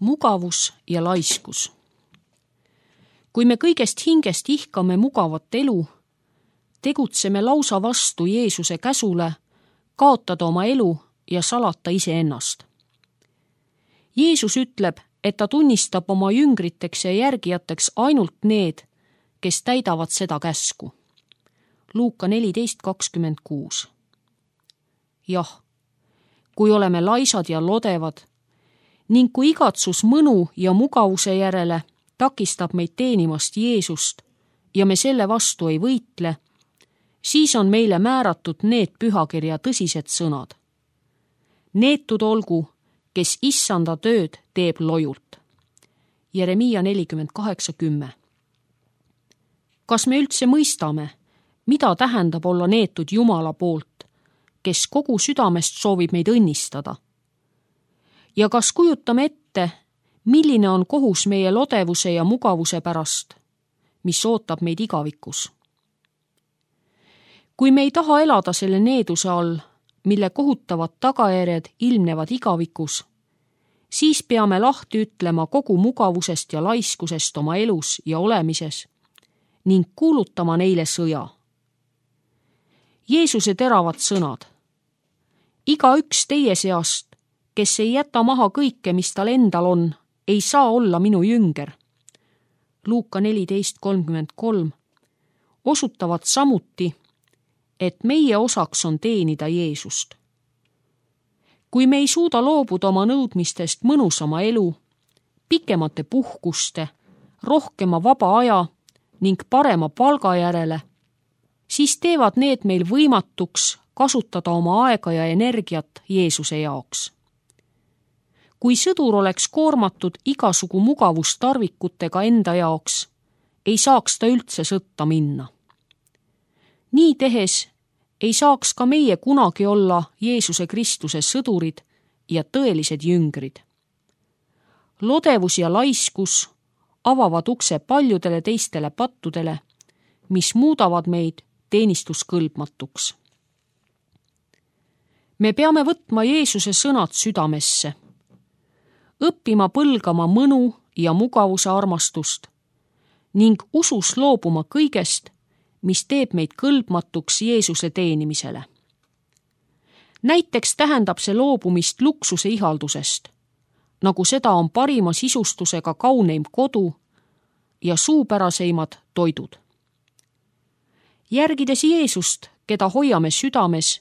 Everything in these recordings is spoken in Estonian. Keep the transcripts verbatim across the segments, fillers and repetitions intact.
Mugavus ja laiskus. Kui me kõigest hingest ihkame mugavat elu, tegutseme lausa vastu Jeesuse käsule kaotada oma elu ja salata iseennast. Jeesus ütleb, et ta tunnistab oma jüngriteks ja järgijateks ainult need, kes täidavad seda käsku. Luuka neliteist kakskümmend kuus. Jah, kui oleme laisad ja lodevad ning kui igatsus mõnu ja mugavuse järele takistab meid teenimast Jeesust ja me selle vastu ei võitle, siis on meile määratud need pühakirja tõsised sõnad. Neetud olgu, kes issanda tööd teeb lojult. Jeremiia nelikümmend kaheksa kümme. Kas me üldse mõistame, mida tähendab olla neetud Jumala poolt, kes kogu südamest soovib meid õnnistada? Ja kas kujutame ette, milline on kohus meie lodevuse ja mugavuse pärast, mis ootab meid igavikus? Kui me ei taha elada selle needuse all, mille kohutavad tagajärjed ilmnevad igavikus, siis peame lahti ütlema kogu mugavusest ja laiskusest oma elus ja olemises ning kuulutama neile sõja. Jeesuse teravad sõnad. Iga üks teie seast, kes ei jäta maha kõike, mis tal endal on, ei saa olla minu jünger. Luuka neliteist kolmkümmend kolm osutavad samuti, et meie osaks on teenida Jeesust. Kui me ei suuda loobuda oma nõudmistest mõnusama elu, pikemate puhkuste, rohkema vaba aja ning parema palga järele, siis teevad need meil võimatuks kasutada oma aega ja energiat Jeesuse jaoks. Kui sõdur oleks koormatud igasugu mugavustarvikutega enda jaoks, ei saaks ta üldse sõtta minna. Nii tehes ei saaks ka meie kunagi olla Jeesuse Kristuse sõdurid ja tõelised jüngrid. Lodevus ja laiskus avavad ukse paljudele teistele pattudele, mis muudavad meid teenistuskõlbmatuks. Me peame võtma Jeesuse sõnad südamesse, õppima põlgama mõnu ja mugavuse armastust ning usus loobuma kõigest, mis teeb meid kõlbmatuks Jeesuse teenimisele. Näiteks tähendab see loobumist luksuse ihaldusest, nagu seda on parima sisustusega kauneim kodu ja suupäraseimad toidud. Järgides Jeesust, keda hoiame südames,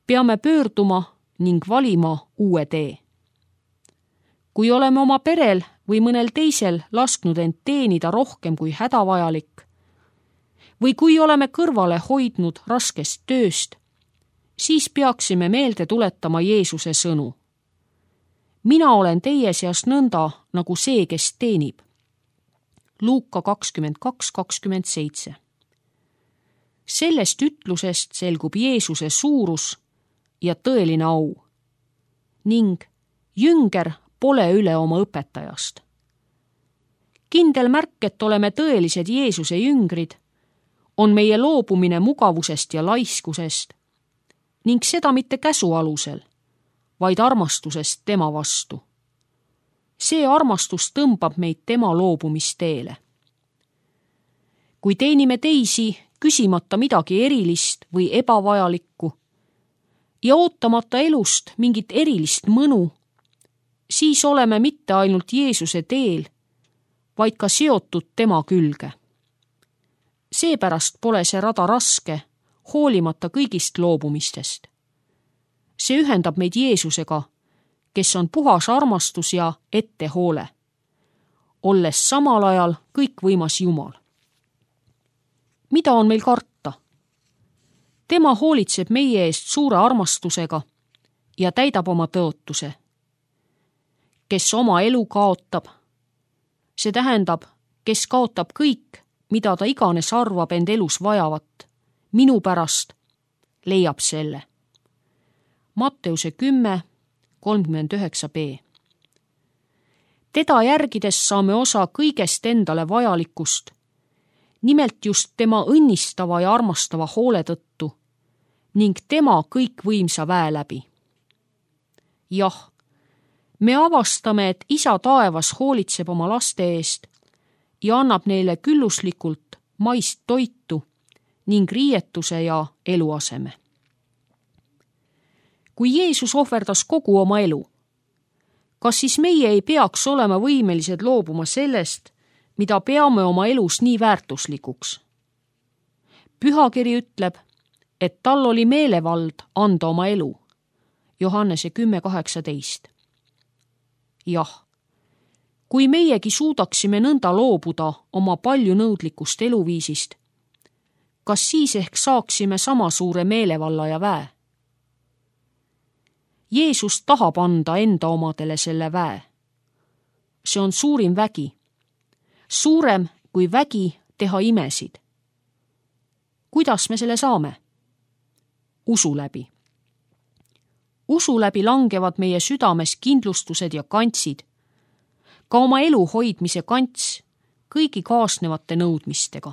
peame pöörduma ning valima uue tee. Kui oleme oma perel või mõnel teisel lasknud end teenida rohkem kui hädavajalik, või kui oleme kõrvale hoidnud raskest tööst, siis peaksime meelde tuletama Jeesuse sõnu. Mina olen teie seas nõnda nagu see, kes teenib. Luuka kakskümmend kaks kakskümmend seitse. Sellest ütlusest selgub Jeesuse suurus ja tõeline au ning jünger pole üle oma õpetajast. Kindel märk, et oleme tõelised Jeesuse jüngrid, on meie loobumine mugavusest ja laiskusest ning seda mitte käsu alusel, vaid armastusest tema vastu. See armastus tõmbab meid tema loobumisteele. Kui teenime teisi, küsimata midagi erilist või ebavajalikku ja ootamata elust mingit erilist mõnu, siis oleme mitte ainult Jeesuse teel, vaid ka seotud tema külge. Seepärast pole see rada raske, hoolimata kõigist loobumistest. See ühendab meid Jeesusega, kes on puhas armastus ja ettehoole, olles samal ajal kõikvõimas Jumal. Mida on meil karta? Tema hoolitseb meie eest suure armastusega ja täidab oma tõotuse. Kes oma elu kaotab, see tähendab, kes kaotab kõik, mida ta iganes arvab end elus vajavat, minu pärast, leiab selle. Matteuse kümme kolmkümmend üheksa b. Teda järgides saame osa kõigest endale vajalikust, nimelt just tema õnnistava ja armastava hoole tõttu ning tema kõikvõimsa väe läbi. Jah, me avastame, et Isa taevas hoolitseb oma laste eest ja annab neile külluslikult maist toitu ning riietuse ja eluaseme. Kui Jeesus ohverdas kogu oma elu, kas siis meie ei peaks olema võimelised loobuma sellest, mida peame oma elus nii väärtuslikuks? Pühakiri ütleb, et tal oli meelevald anda oma elu. Johannese kümme kaheksateist. Jah, kui meiegi suudaksime nõnda loobuda oma paljunõudlikust eluviisist, kas siis ehk saaksime sama suure meelevalla ja väe? Jeesus tahab anda enda omadele selle väe. See on suurim vägi. Suurem kui vägi teha imesid. Kuidas me selle saame? Usu läbi. Usu läbi langevad meie südames kindlustused ja kantsid, ka oma elu hoidmise kants kõigi kaasnevate nõudmistega.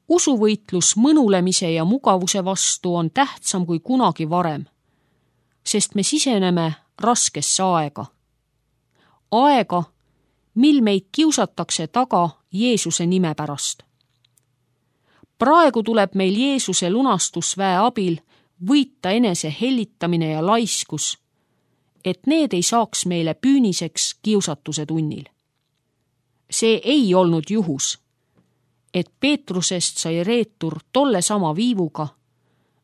Usuvõitlus mõnulemise ja mugavuse vastu on tähtsam kui kunagi varem, sest me siseneme raskesse aega. Aega, mil meid kiusatakse taga Jeesuse nime pärast. Praegu tuleb meil Jeesuse lunastusväe abil võita enese hellitamine ja laiskus, et need ei saaks meile püüniseks kiusatuse tunnil. See ei olnud juhus, et Peetrusest sai reetur tolle sama viivuga,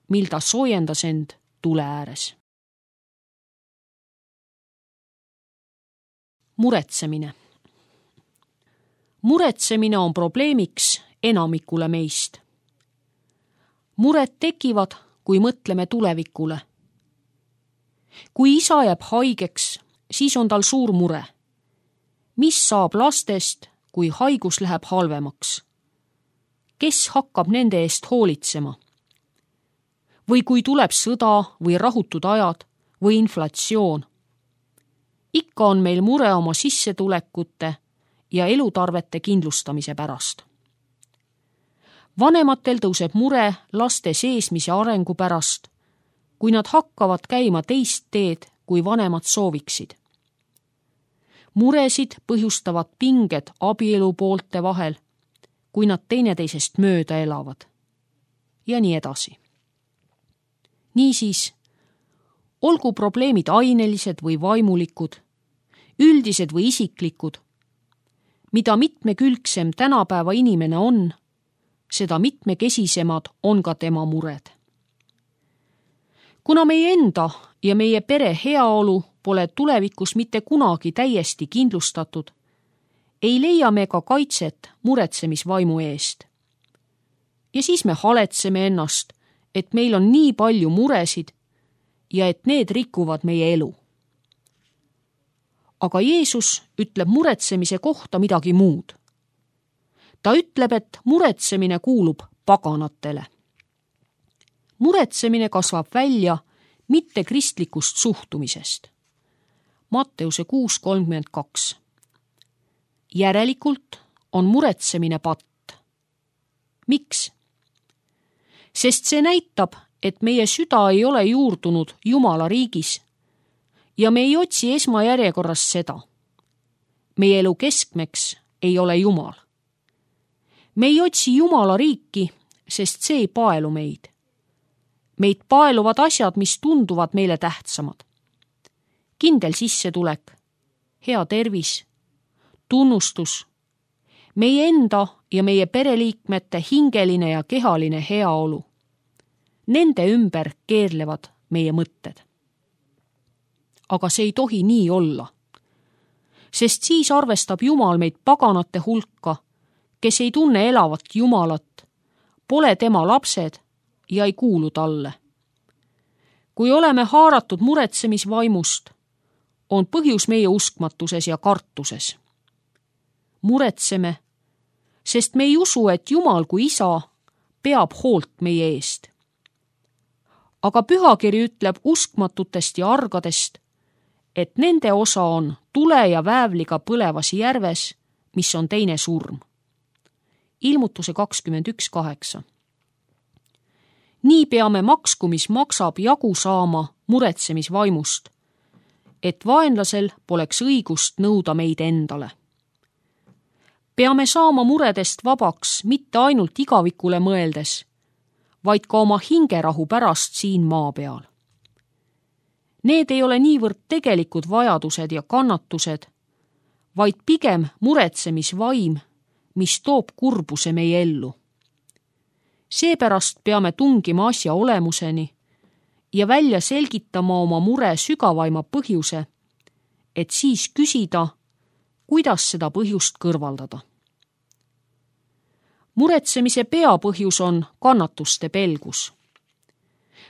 mil ta soojendas end tule ääres. Muretsemine. Muretsemine on probleemiks enamikule meist. Mured tekivad, kui mõtleme tulevikule. Kui isa jääb haigeks, siis on tal suur mure. Mis saab lastest, kui haigus läheb halvemaks? Kes hakkab nende eest hoolitsema? Või kui tuleb sõda või rahutud ajad või inflatsioon? Ikka on meil mure oma sissetulekute ja elutarvete kindlustamise pärast. Vanematel tõuseb mure laste seesmise arengu pärast, kui nad hakkavad käima teist teed, kui vanemad sooviksid. Muresid põhjustavad pinged abielu poolte vahel, kui nad teineteisest mööda elavad. Ja nii edasi. Niisiis, olgu probleemid ainelised või vaimulikud, üldised või isiklikud, mida mitmekülgsem tänapäeva inimene on, seda mitmekesisemad on ka tema mured. Kuna meie enda ja meie pere heaolu pole tulevikus mitte kunagi täiesti kindlustatud, ei leia me ka kaitset muretsemisvaimu eest. Ja siis me haletseme ennast, et meil on nii palju muresid ja et need rikuvad meie elu. Aga Jeesus ütleb muretsemise kohta midagi muud. Ta ütleb, et muretsemine kuulub paganatele. Muretsemine kasvab välja mitte kristlikust suhtumisest. Matteuse kuus kolmkümmend kaks. Järelikult on muretsemine patt. Miks? Sest see näitab, et meie süda ei ole juurdunud Jumala riigis ja me ei otsi esmajärjekorras seda. Meie elu keskmeks ei ole Jumal. Me ei otsi Jumala riiki, sest see ei paelu meid. Meid paeluvad asjad, mis tunduvad meile tähtsamad. Kindel sissetulek, hea tervis, tunnustus, meie enda ja meie pereliikmete hingeline ja kehaline heaolu. Nende ümber keerlevad meie mõtted. Aga see ei tohi nii olla, sest siis arvestab Jumal meid paganate hulka, kes ei tunne elavat Jumalat, pole tema lapsed ja ei kuulu talle. Kui oleme haaratud muretsemisvaimust, on põhjus meie uskmatuses ja kartuses. Muretseme, sest me ei usu, et Jumal kui isa peab hoolt meie eest. Aga pühakiri ütleb uskmatutest ja argadest, et nende osa on tule ja väävliga põlevas järves, mis on teine surm. Ilmutuse kakskümmend üks kaheksa. Nii peame maksku, mis maksab jagu saama muretsemisvaimust, et vaenlasel poleks õigust nõuda meid endale. Peame saama muredest vabaks mitte ainult igavikule mõeldes, vaid ka oma hingerahu pärast siin maa peal. Need ei ole niivõrd tegelikud vajadused ja kannatused, vaid pigem muretsemisvaim, mis toob kurbuse meie ellu. Seepärast peame tungima asja olemuseni ja välja selgitama oma mure sügavaima põhjuse, et siis küsida, kuidas seda põhjust kõrvaldada. Muretsemise peapõhjus on kannatuste pelgus.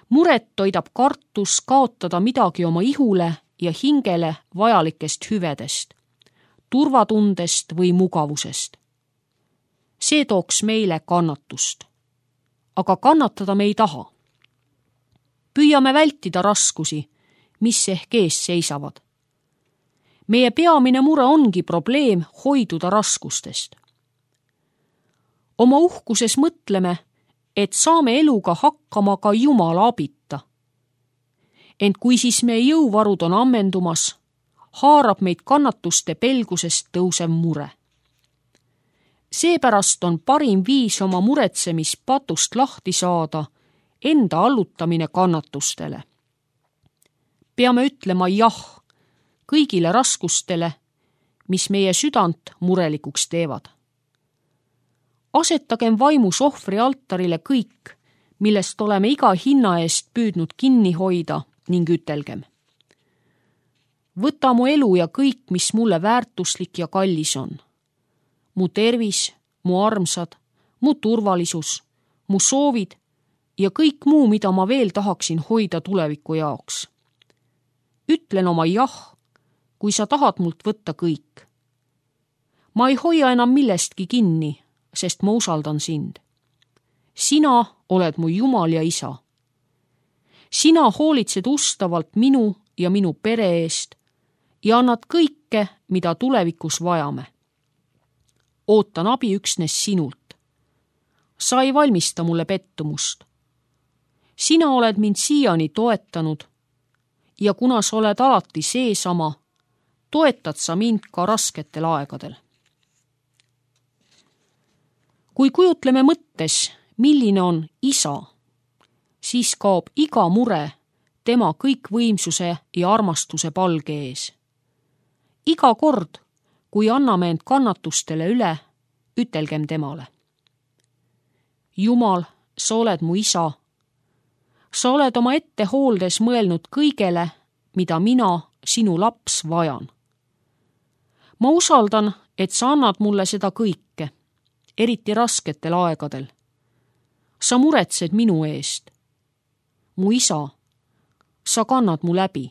Muret toidab kartus kaotada midagi oma ihule ja hingele vajalikest hüvedest, turvatundest või mugavusest. See tooks meile kannatust. Aga kannatada me ei taha. Püüame vältida raskusi, mis ehk ees seisavad. Meie peamine mure ongi probleem hoiduda raskustest. Oma uhkuses mõtleme, et saame eluga hakkama ka Jumala abita. Ent kui siis meie jõuvarud on ammendumas, haarab meid kannatuste pelgusest tõusev mure. Seepärast on parim viis oma muretsemispatust lahti saada enda allutamine kannatustele. Peame ütlema jah kõigile raskustele, mis meie südant murelikuks teevad. Asetagem vaimus ohvri altarile kõik, millest oleme iga hinna eest püüdnud kinni hoida ning ütelgem. Võta mu elu ja kõik, mis mulle väärtuslik ja kallis on. Mu tervis, mu armsad, mu turvalisus, mu soovid ja kõik muu, mida ma veel tahaksin hoida tuleviku jaoks. Ütlen oma jah, kui sa tahad mult võtta kõik. Ma ei hoia enam millestki kinni, sest ma usaldan sind. Sina oled mu Jumal ja Isa. Sina hoolitsed ustavalt minu ja minu pere eest ja annad kõike, mida tulevikus vajame. Ootan abi üksnes sinult. Sa ei valmista mulle pettumust. Sina oled mind siiani toetanud ja kuna sa oled alati seesama, toetad sa mind ka rasketel aegadel. Kui kujutleme mõttes, milline on Isa, siis kaob iga mure tema kõikvõimsuse ja armastuse palge ees. Iga kord, kui anname end kannatustele üle, ütelgem temale. Jumal, sa oled mu Isa. Sa oled oma ettehooldes mõelnud kõigele, mida mina, sinu laps, vajan. Ma usaldan, et sa annad mulle seda kõike, eriti rasketel aegadel. Sa muretsed minu eest. Mu Isa, sa kannad mu läbi.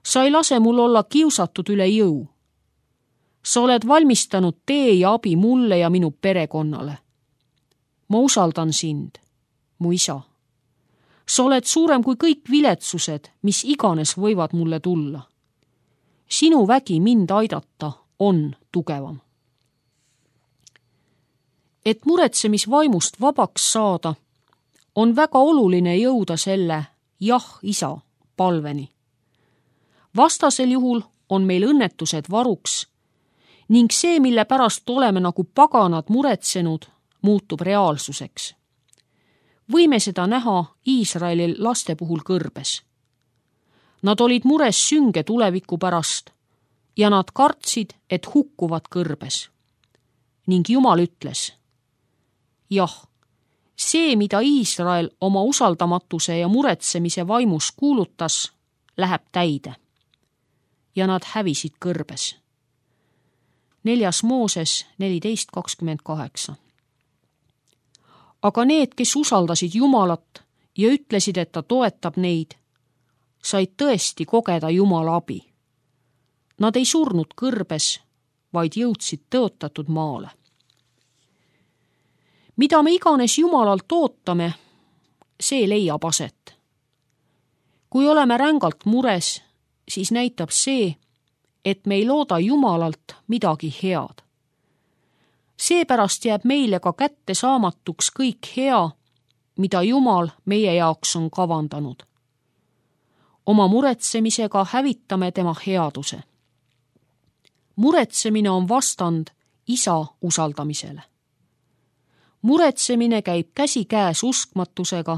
Sa ei lase mul olla kiusatud üle jõu. Sa oled valmistanud tee ja abi mulle ja minu perekonnale. Ma usaldan sind, mu Isa. Sa oled suurem kui kõik viletsused, mis iganes võivad mulle tulla. Sinu vägi mind aidata on tugevam. Et muretsemisvaimust vabaks saada, on väga oluline jõuda selle jah, Isa palveni. Vastasel juhul on meil õnnetused varuks ning see, mille pärast oleme nagu paganad muretsenud, muutub reaalsuseks. Võime seda näha Iisraeli laste puhul kõrbes. Nad olid mures sünge tuleviku pärast ja nad kartsid, et hukkuvad kõrbes. Ning Jumal ütles, jah, see, mida Iisrael oma usaldamatuse ja muretsemise vaimus kuulutas, läheb täide. Ja nad hävisid kõrbes. Neljas Mooses neliteist kakskümmend kaheksa. Aga need, kes usaldasid Jumalat ja ütlesid, et ta toetab neid, said tõesti kogeda Jumala abi. Nad ei surnud kõrbes, vaid jõudsid tõotatud maale. Mida me iganes Jumalalt ootame, see leiab aset. Kui oleme rängalt mures, siis näitab see, et me ei looda Jumalalt midagi head. Seepärast jääb meile ka kätte saamatuks kõik hea, mida Jumal meie jaoks on kavandanud. oma muretsemisega hävitame tema headuse. Muretsemine on vastand isa usaldamisele. Muretsemine käib käsikäes uskmatusega,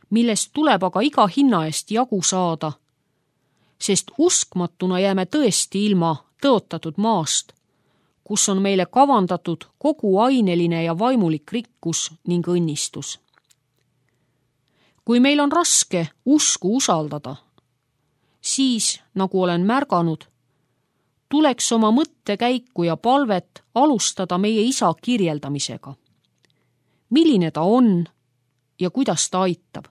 millest tuleb aga iga hinna eest jagu saada, sest uskmatuna jääme tõesti ilma tõotatud maast, kus on meile kavandatud kogu aineline ja vaimulik rikkus ning õnnistus. Kui meil on raske usku usaldada, siis, nagu olen märganud, tuleks oma mõttekäiku ja palvet alustada meie isa kirjeldamisega. Milline ta on ja kuidas ta aitab.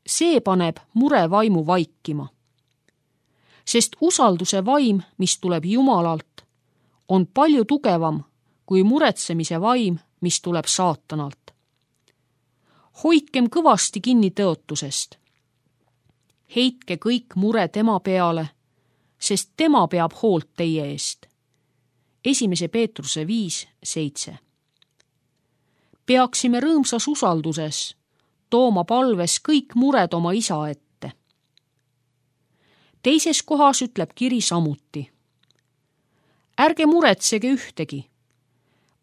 See paneb mure vaimu vaikima. Sest usalduse vaim, mis tuleb Jumalalt, on palju tugevam kui muretsemise vaim, mis tuleb saatanalt. Hoidkem kõvasti kinni tõotusest. Heitke kõik mure tema peale, sest tema peab hoolt teie eest. Esimese Peetruse viis seitse. Peaksime rõõmsas usalduses tooma palves kõik mured oma isa ette. Teises kohas ütleb kiri samuti. Ärge muretsege ühtegi,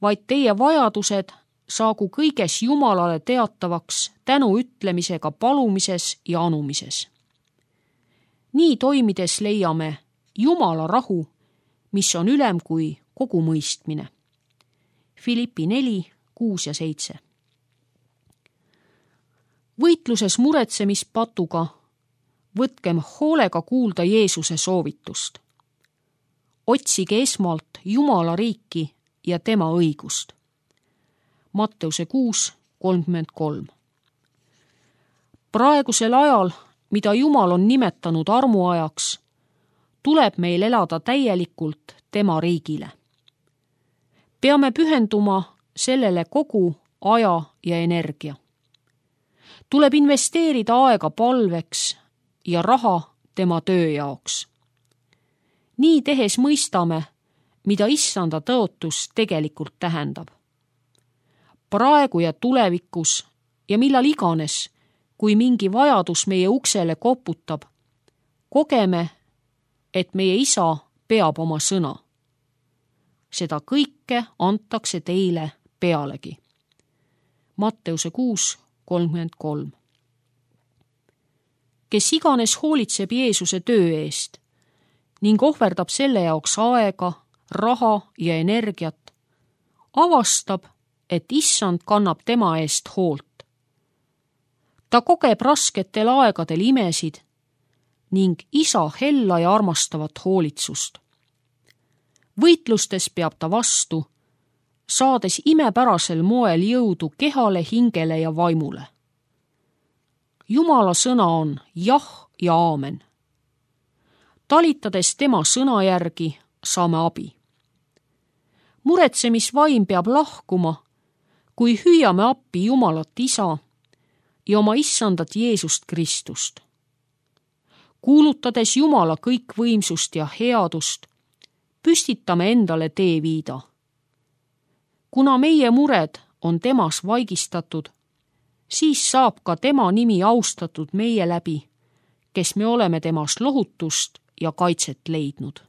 vaid teie vajadused saagu kõiges Jumalale teatavaks tänu ütlemisega palumises ja anumises. Nii toimides leiame Jumala rahu, mis on ülem kui kogu mõistmine. Filippi neli kuus ja seitse. Võitluses muretsemispatuga võtkem hoolega kuulda Jeesuse soovitust. Otsige esmalt Jumala riiki ja tema õigust. Matteuse kuus kolmkümmend kolm. Praegusel ajal, mida Jumal on nimetanud armuajaks, tuleb meil elada täielikult tema riigile. Peame pühenduma sellele kogu aja ja energia. Tuleb investeerida aega palveks ja raha tema töö jaoks. Nii tehes mõistame, mida issanda tõotus tegelikult tähendab. Praegu ja tulevikus ja millal iganes, kui mingi vajadus meie uksele koputab, kogeme, et meie isa peab oma sõna. Seda kõike antakse teile pealegi. Matteuse kuus kolmkümmend kolm. Kes iganes hoolitseb Jeesuse töö eest ning ohverdab selle jaoks aega, raha ja energiat, avastab, et issand kannab tema eest hoolt. Ta kogeb rasketel aegadel imesid ning isa hella ja armastavat hoolitsust. Võitlustes peab ta vastu, saades imepärasel moel jõudu kehale, hingele ja vaimule. Jumala sõna on jah ja aamen. Talitades tema sõna järgi saame abi. Muretsemisvaim peab lahkuma, kui hüüame appi Jumalat isa ja oma issandat Jeesust Kristust. Kuulutades Jumala kõikvõimsust ja headust, püstitame endale teeviida. Kuna meie mured on temas vaigistatud, siis saab ka tema nimi austatud meie läbi, kes me oleme temast lohutust ja kaitset leidnud.